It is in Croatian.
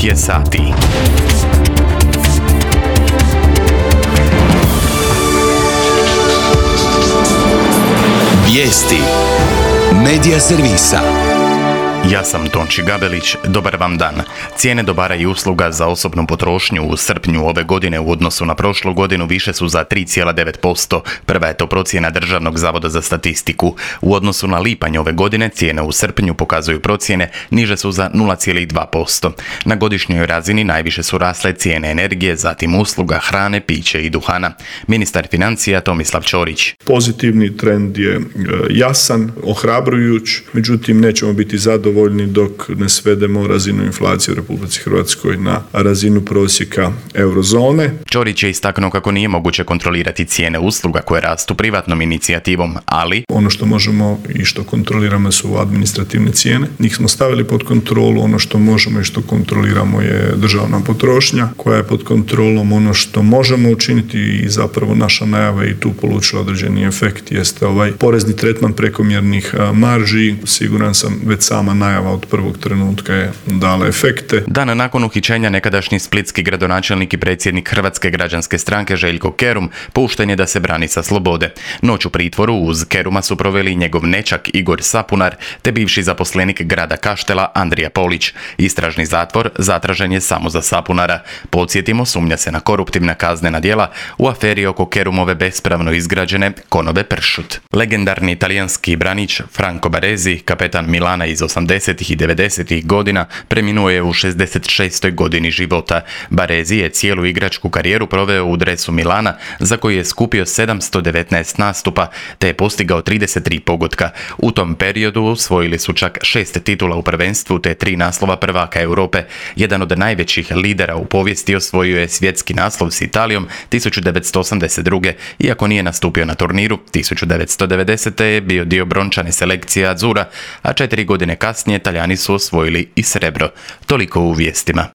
9 je sati. Vijesti Medija servisa. Ja sam Tonči Gabelić, dobar vam dan. Cijene dobara i usluga za osobnu potrošnju u srpnju ove godine u odnosu na prošlu godinu više su za 3,9%. Prva je to procjena Državnog zavoda za statistiku. U odnosu na lipanj ove godine cijene u srpnju, pokazuju procjene, niže su za 0,2%. Na godišnjoj razini najviše su rasle cijene energije, zatim usluga, hrane, piće i duhana. Ministar financija Tomislav Ćorić. Pozitivni trend je jasan, ohrabrujuć, međutim nećemo biti zadovoljni dok ne svedemo razinu inflacije u Republici Hrvatskoj na razinu prosjeka eurozone. Ćorić je istaknuo kako nije moguće kontrolirati cijene usluga koje rastu privatnom inicijativom, ali ono što možemo i što kontroliramo su administrativne cijene. Njih smo stavili pod kontrolu. Ono što možemo i što kontroliramo je državna potrošnja koja je pod kontrolom. Ono što možemo učiniti i zapravo naša najava i tu polučila određeni efekt jeste porezni tretman prekomjernih marži. Siguran sam već sama najava od prvog trenutka je dala efekte. Dan nakon uhićenja nekadašnji splitski gradonačelnik i predsjednik Hrvatske građanske stranke Željko Kerum pušten je da se brani sa slobode. Noć u pritvoru uz Keruma su proveli njegov nećak Igor Sapunar te bivši zaposlenik grada Kaštela Andrija Polić. Istražni zatvor zatražen je samo za Sapunara. Podsjetimo, sumnja se na koruptivna kaznena djela u aferi oko Kerumove bespravno izgrađene Konobe Pršut. Legendarni talijanski branič Franco Baresi, kapetan Milana iz 80. i 90. godina, preminuo je u 66. godini života. Baresi je cijelu igračku karijeru proveo u dresu Milana, za koji je skupio 719 nastupa, te je postigao 33 pogotka. U tom periodu osvojili su čak 6 titula u prvenstvu te 3 naslova prvaka Europe. Jedan od najvećih lidera u povijesti osvojio je svjetski naslov s Italijom 1982. Iako nije nastupio na turniru, 1990. je bio dio brončane selekcije Azzurra, a 4 godine kasnije Talijani su osvojili i srebro. Toliko u vijestima.